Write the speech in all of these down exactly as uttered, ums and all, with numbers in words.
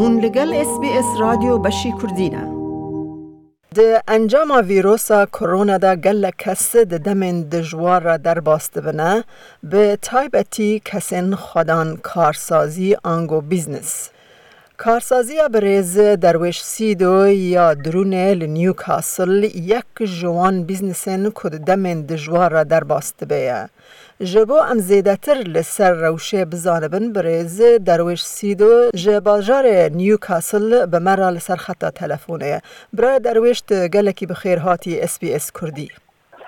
Hûn li gel S B S Radyo Beşî Kurdî ne. Di encama vîrosa Corona de gelek kes di demên dijwar re derbas dibine, bi taybetî kesên xwedan karsazî ango business. Karsaziya birêz Derwêş Sîdo ya Dirûnê li Newcastle yek ji wan biznesên ku di demên dijwar re derbas dibe ye. Ji bo em zêdetir li ser rewşê bizanibin, birêz Derwêş Sîdo ji bajarê Newcastle bi me re li ser xeta telefonê ye. Birayê Derwêş, tu gelekî bi xêr hatî S B S Kurdî.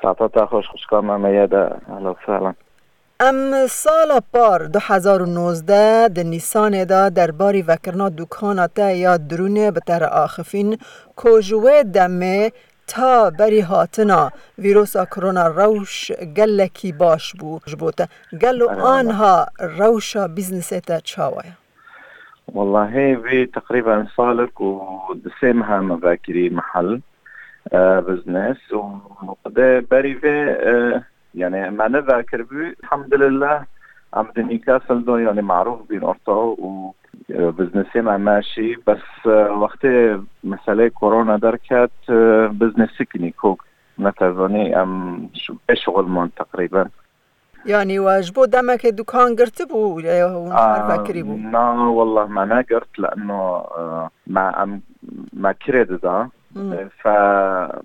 Saeta te xweş, xwişka me Meyeda. Ehla sehlan. Em sala par du hezar û nozdeh di Nîsanê de derbarî vekirina dukana te ya Dirûnê bi te re axifîn ku ji wê demê ta berî hatina vîrosa Corona rewş gelekî baş bû ji bo te. Gelo Erê, wala. Anha rewşa bîznesê te çawa ye? Wallahî vê teqrîben salek û di sê meha me vekirî mehel, e, biznes û de berî vê, e, yani me nevekiribû, elhamdülillah, em di Newcastle de yani marûf bîn orta û, e, biznesê me meşî, bes, e, wextê meseleyê korona derket, e, biznesê kinî kok, netezanî em şu-, bê şixul man teqrîben. Yani we ji bo demekê dukan girtibû, e, hûn Aa, şerve kirîbû? Na, wallah me negirt, leno, e, me, em, me kirê dida. Hmm. E, fe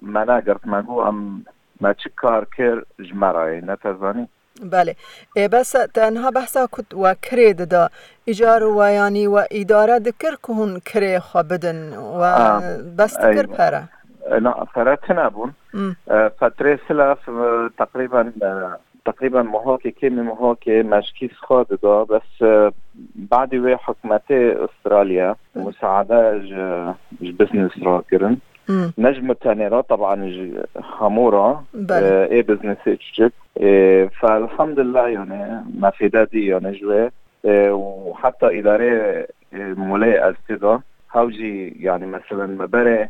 me negirt, me got em, me çi kar kir ji me re ye, netezanî? Belê. Ê, bes te niha behsa ku we kirê dida, îcar we, yani we îdare dikir ku hûn kirê xwe bidin, we Aa, bes dikir eywa. Pere? E, na, pere tine bûn. Hmm. E, fetrê silaf, e, teqrîben, e, teqrîben mohakê, kêmî mohakê me ji kîs xwe dida, bes, e, badî wê hikûmetê Australya Hmm. musaade ji, ji biznes re kirin. Hmm. Ne ji min tenê re, teban ji hemû re, Belê. e, ê biznesê çiçik. E, fe elhamdulillah, yani, me fêde dî, yani, ji wê. E, û heta îdarê, e, molê ez tê de. Hew jî, yani, meselen, me berê,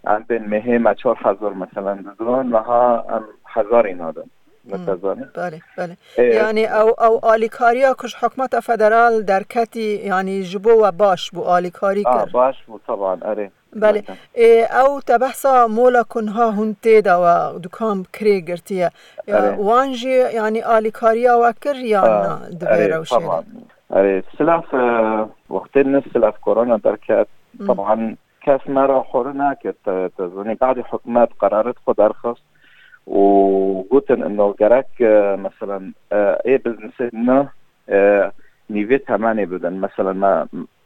em bên mehê me çar hezar, meselen, dida, niha em hezarî nadin. Hmm. Netezanî? Belê, belê. E, Yani, ew, ew alîkariya ku ji hikûmeta federal derketî, yani, ji bo we baş bû, alîkarî A, kir. Baş bû, teban, erê. Belê. Zaten. Ê, ew te behsa mola ku niha hûn tê de we dukan bi kirê girtiye. Ya, Erê. Wan jî, yani, alîkariya we kir yan A, na di vê erê, rewşê de? Teban. Erê, silaf, e, wextê ne silaf korona derket, Hmm. teban kes me re xwari nekir, te, te zanî, badî hikûmet qeraret xwe derxist û gotin, ino gerek, e, meselen, e, ê biznesê ne, e, nîvê temenê bidin. Meselen, me,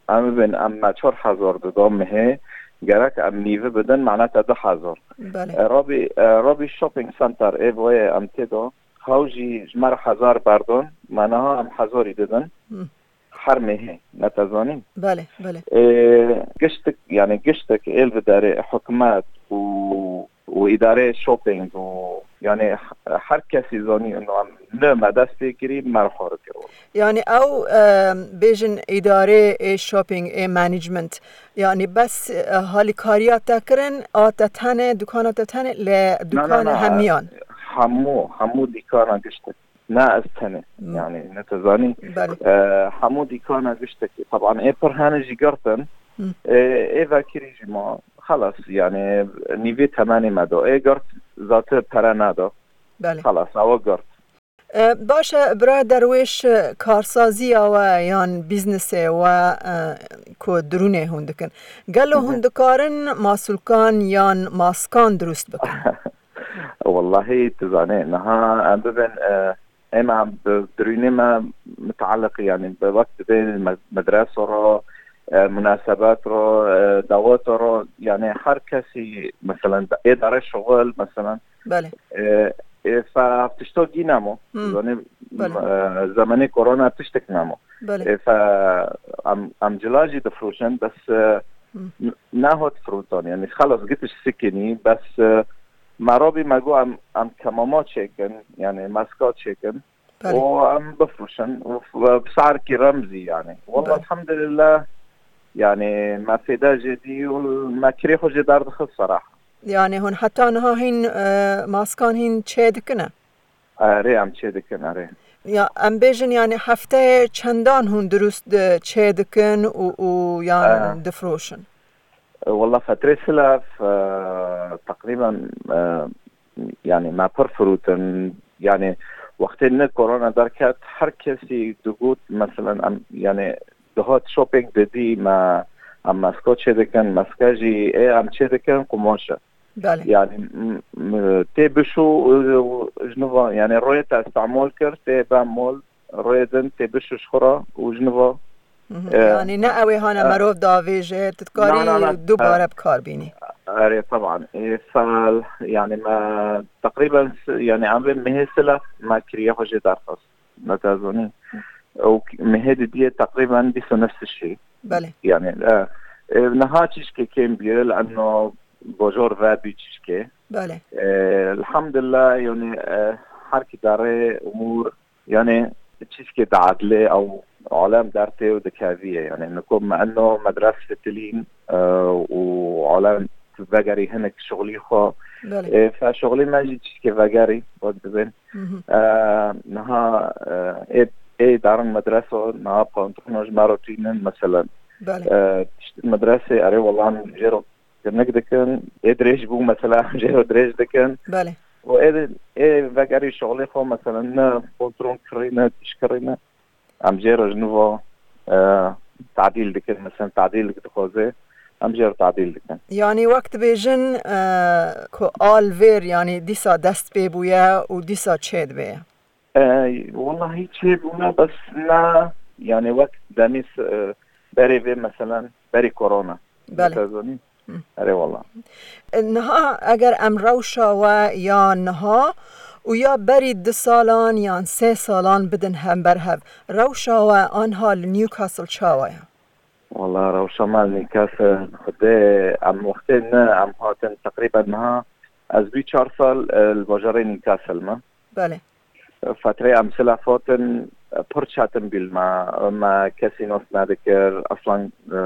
em bibin, em me çar hezar dida mehê, gerek em nîvi bidin, mane te du hezar. Belê. E, Rabî, e, Rabî Shopping Center, ê boyê em tê de, hew jî ji me re hezar berdon, me niha em hezarî didin. Hmm. Her mehê, netezanî? Belê, belê. E, giştik, yani giştik êl vidarê hikûmet û, û îdarê shopping û, yani, her kesî zanî, ino em ne me dest pê kirî, me re xwari kir. Yani ew, e, bêjin îdarê ê shopping, ê management, yani bes, e, halîkariya te kirin, a te tenê, dukana te tenê, lê Na, na, dukana na, hemiyan? Hemû, hemû dîkana giştik. Ne ez tenê. Hmm. Yani, ne te zanî. Belê. E, hemû dîkana giştekî. Teban ê pir hene jî girtin. Hmm. E, ê vekirî jî ma. Xelas, yani, nîvê temenê me da. Ê girt, zate pere neda. Belê. Xelas, ew girt. E, baş e, bira Derwêş, e, karsaziya we yan bîznesê we, e, ku dirûnê hûn dikin, gelo Hı hı. hûn dikarin masûlkan yan maskan dirust bikin? Wallahî, tu zanî, niha em bibin, e, êma bi dirûnê me mutaliq, yani bi wek dibê me-, medresa re, e, munasebet re, e, daweta re, yani her kesî, meselen, êdare şixul, meselen, Belê. E, e, fe tişto gî nemo. Hmm. Zanî, Belê. e, zemenê korona tiştek nemo. Belê. E, fe em, em cila jî difroşin, bes, e, Hmm. n-, nehot firotan. Yani, xelas gitiş sikinî, bes, e, me rabî me got em, em kemama çêkin, yani, maska çêkin. Belê. Û em bifroşin. Û f-, bi sarkî remzî, yani. Wallah, Belê. elhamdülillah, yani, me fêde jê dî û me kirê xwe jê derdixist, seraha. Yani hûn heta niha hîn, e, maskan hîn çê dikine? Erê, em çê dikin, erê. Ya em bêjin, yani hefteyê çendan hûn dirust, e, çê dikin û, û yan Aha. difroşin? Wala fetrê silav, e, teqrîben, e, yani me pir firotin. Yani wextê ne korona derket, her kesî digot, meselen, em, yani dihat shopping didî, me, em mesko çê dikin, meske jî ê em çê dikin, qumaş e. Belê. Yani, m-, m-, tê bişû, e, ji nû ve, yani royê te îstemol kir, tê be mol, royê din tê bişû ji xwe re û ji nû ve, Mhm. e, Yani ne ew ê hane e, merov davêje, tu dikarî na, na, na, dubare e, bi kar bînî. Erê, teban. E, fel, yani me teqrîben s-, yani em vê mehê sila me kiriye xwe jê derxist. Netezanî. Ew mehê didiyê teqrîben bîst û neh şî. Belê. Yani, e, e, niha çişkê kêm bîye, li eno bojor ve bî çişkê. Belê. E, elhamdülillah, yani, e, her ki darê umur, yani, çişkê diadilê ew alem dertê û dikeviye. Yani, niko me eno medres fitilîn, e, û alem vegerî hinek şixulî xwe. Belê. E, fe şixulî me jî çişkê vegerî, wek dibên. Mhm. E, niha, e, ê, ê darin medreso, niha pantolon ji me re tînin, meselen. Belê. E, tişt medresê, erê, wela em jê re kinik dikin. Ê dirêj bû, mesela, em jê re dirêj dikin. Belê. Û ê, ê vegerî şixulê xwe, meselen, ne pantolon kirî, ne tişt kirî, ne. Em jê re ji nû ve, e, tadîl dikin, meselen, tadîl dixwaze, em jê re tadîl dikin. Yani wek dibêjin, e, ku al vêr, yani dîsa dest pê bûye û dîsa çê dibe. E, wellahî çêbûne, bes ne, yani wek demî s-, e, berê vê meselen, berî korona. Belê. Te zanî? Hı. Erê wella. Niha eger em rewşa we ya niha û ya berî du salan yan sê salan bidin hember hev, rewşa we anha li Newcastle çawa ye? Wala rewşa me li Newcastle, Xwedê, em wextê ne, em hatin teqrîben niha, ez bî çar sal, e, li bajarê Newcastle me. Belê. Fetrê em silafotin, pir çetin bî li me. Me kesî nas nedikir. Aslan, e,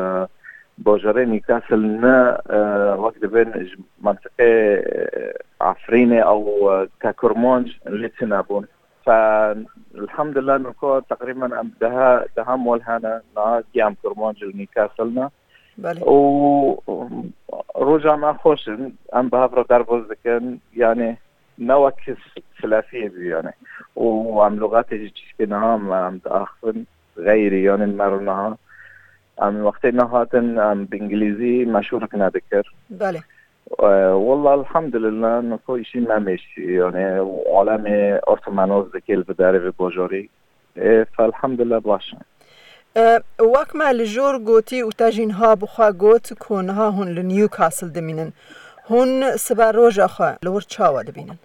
bajarê Newcastle ne, e, wek dibên ji mentiqê, e, Efrînê ew, e, ke Kurmanc lê tune bûn. Fe, elhamdulillah, niko teqrîben em deha, deha mol hene, niha gî em Kurmanc li Newcastle ne. Belê. Û, û roja me xweş in, em bi hev re derbas dikin, yani ne wek s-, silafiyê bî yani. Û em lûxetê jî çişkê niha em, em diaxivin, xeyrî yani me re niha. Em wextê nehatin, em bi îngilîzî meşûrik nedikir. Belê. E, wella elhamdulillah, niko îşî me mêşî, yani alemê ortomanoz dikê li vê derê vê bajarî. E, fe elhamdulillah baş e. E, wek me li jor gotî û te jî niha bi xwe got ku niha hûn li Newcastle dimînin. Hûn sibe roja xwe li wir çawa dibînin?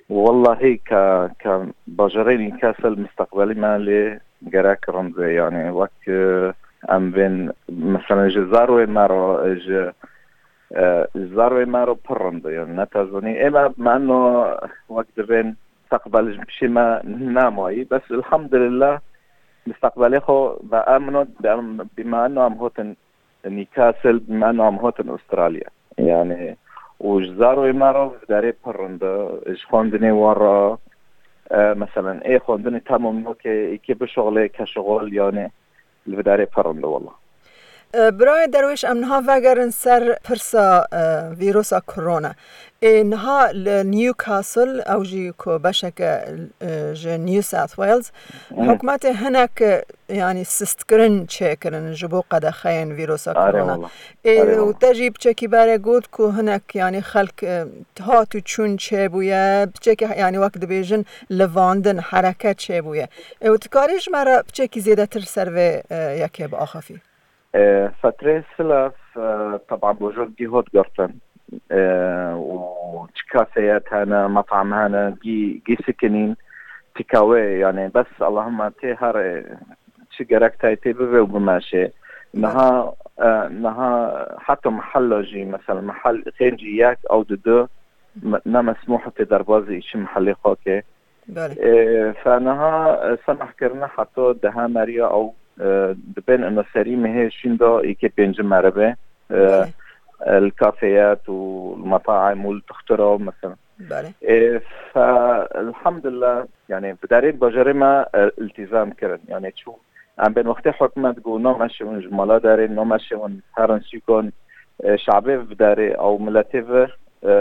Wellahî ke, ke bajarê Newcastle misteqbelî me lê gerek rind e. Yani wek, e, em bên mesela ji zarwê me re, ji, e, ji zarwê me re pir rind e. Yani ne te zanî. Ê me, me no wek dibên misteqbel ji pişê me nemayî. Bes elhamdulillah misteqbelê xwe ve em no, em, bî me no em hotin Newcastle, bî me no em hotin Australia. Yani û ji zarwê me re vê derê pir rind e, ji xwendinê we re, e, meselen, ê xwendinê tamam nokê, êkê bişuxulê, ke şuxul, yani li vê derê pir rind e wela. E, birayê Derwêş, em niha vegerin ser pirsa, e, vîrusa korona. Ê niha li Newcastle, ew jî ku beşeke, e, ji New South Wales, Hı. hikûmetê hinek, e, yani sistkirin çêkirin ji bo qedexeyên vîrusa Are korona. wela. Ê, Are û wela. te jî piçekî berê got ku hinek, yani xelk, e, hat û çûn çêbûye, piçekî, yani wek dibêjin, livandin, hereket çêbûye. Ê, û tu karî ji me re piçekî zêdetir ser vê, e, yekê biaxifî? E, fetrê silav, e, teban bojor gî hot girtin. E, û çi kafeyet hene, metam hene, gî, gî sikinîn, tikawê, yani bes Allahümme tê her, e, çi gerek tayê tê bibe û bimeşê. Niha, e, niha heta mehella jî, mesela mehel xêncî yek ew di du, me-, ne mesmûh tê derbazî çi mehelê xwe ke. Belê. E, fe niha, e, semeh kirine heta deha meriya ew, e, dibên ino serî mehê şînda êkê pêncî meribe, e, Belê. e, li kafeyet û li metaim û li tuxtira, mesela. Belê. E, fe, elhamdülillah, yani bi darê bajarê me, e, iltizam kirin. Yani çû em bên wextê hikûmet got, "No meşê hûn ji mala derê, no meşê hûn herin sûkan." E, şabê bi darê ew miletê ve, e,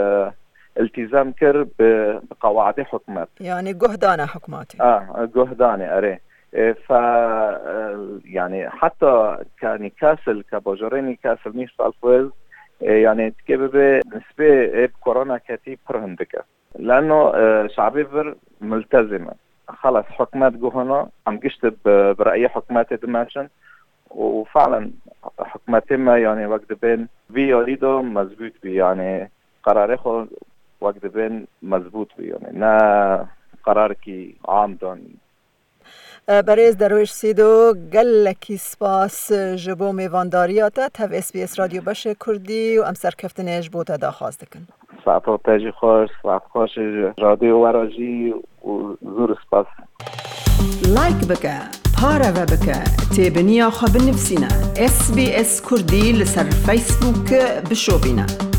iltizam kir bi, bi qewaidê hikûmet. Yani guh dane hikûmetê. A, guh dane, erê. E, fe, e, yani heta ke Newcastle, ke bajarê Newcastle, New South Wales, e, yani tikê bibe nisbê ê bi korona ketî pir hindik e. Leno, e, şabê vir multezim e. Xelas, hikûmet guhana, em gişt bi, bi reyê hikûmetê dimeşin û fe'len hikûmetê me, yani wek dibên vî yarî de mezbût bî, yani qerarê xwe wek dibên mezbût bî, yani ne qerarekî am dan. E, berêz Derwêş Sîdo, gelekî spas ji bo mêvandariya te. Tev S B S Radyo Beşê Kurdî û em serkeftinê ji bo te daxwaz dikin. Saeto te jî xweş, saet xweş ji radyo we re jî û zûr spas. Like bike, pareve bike, têbiniya xwe binivîsîne. S B S Kurdî li ser Facebook bişopîne.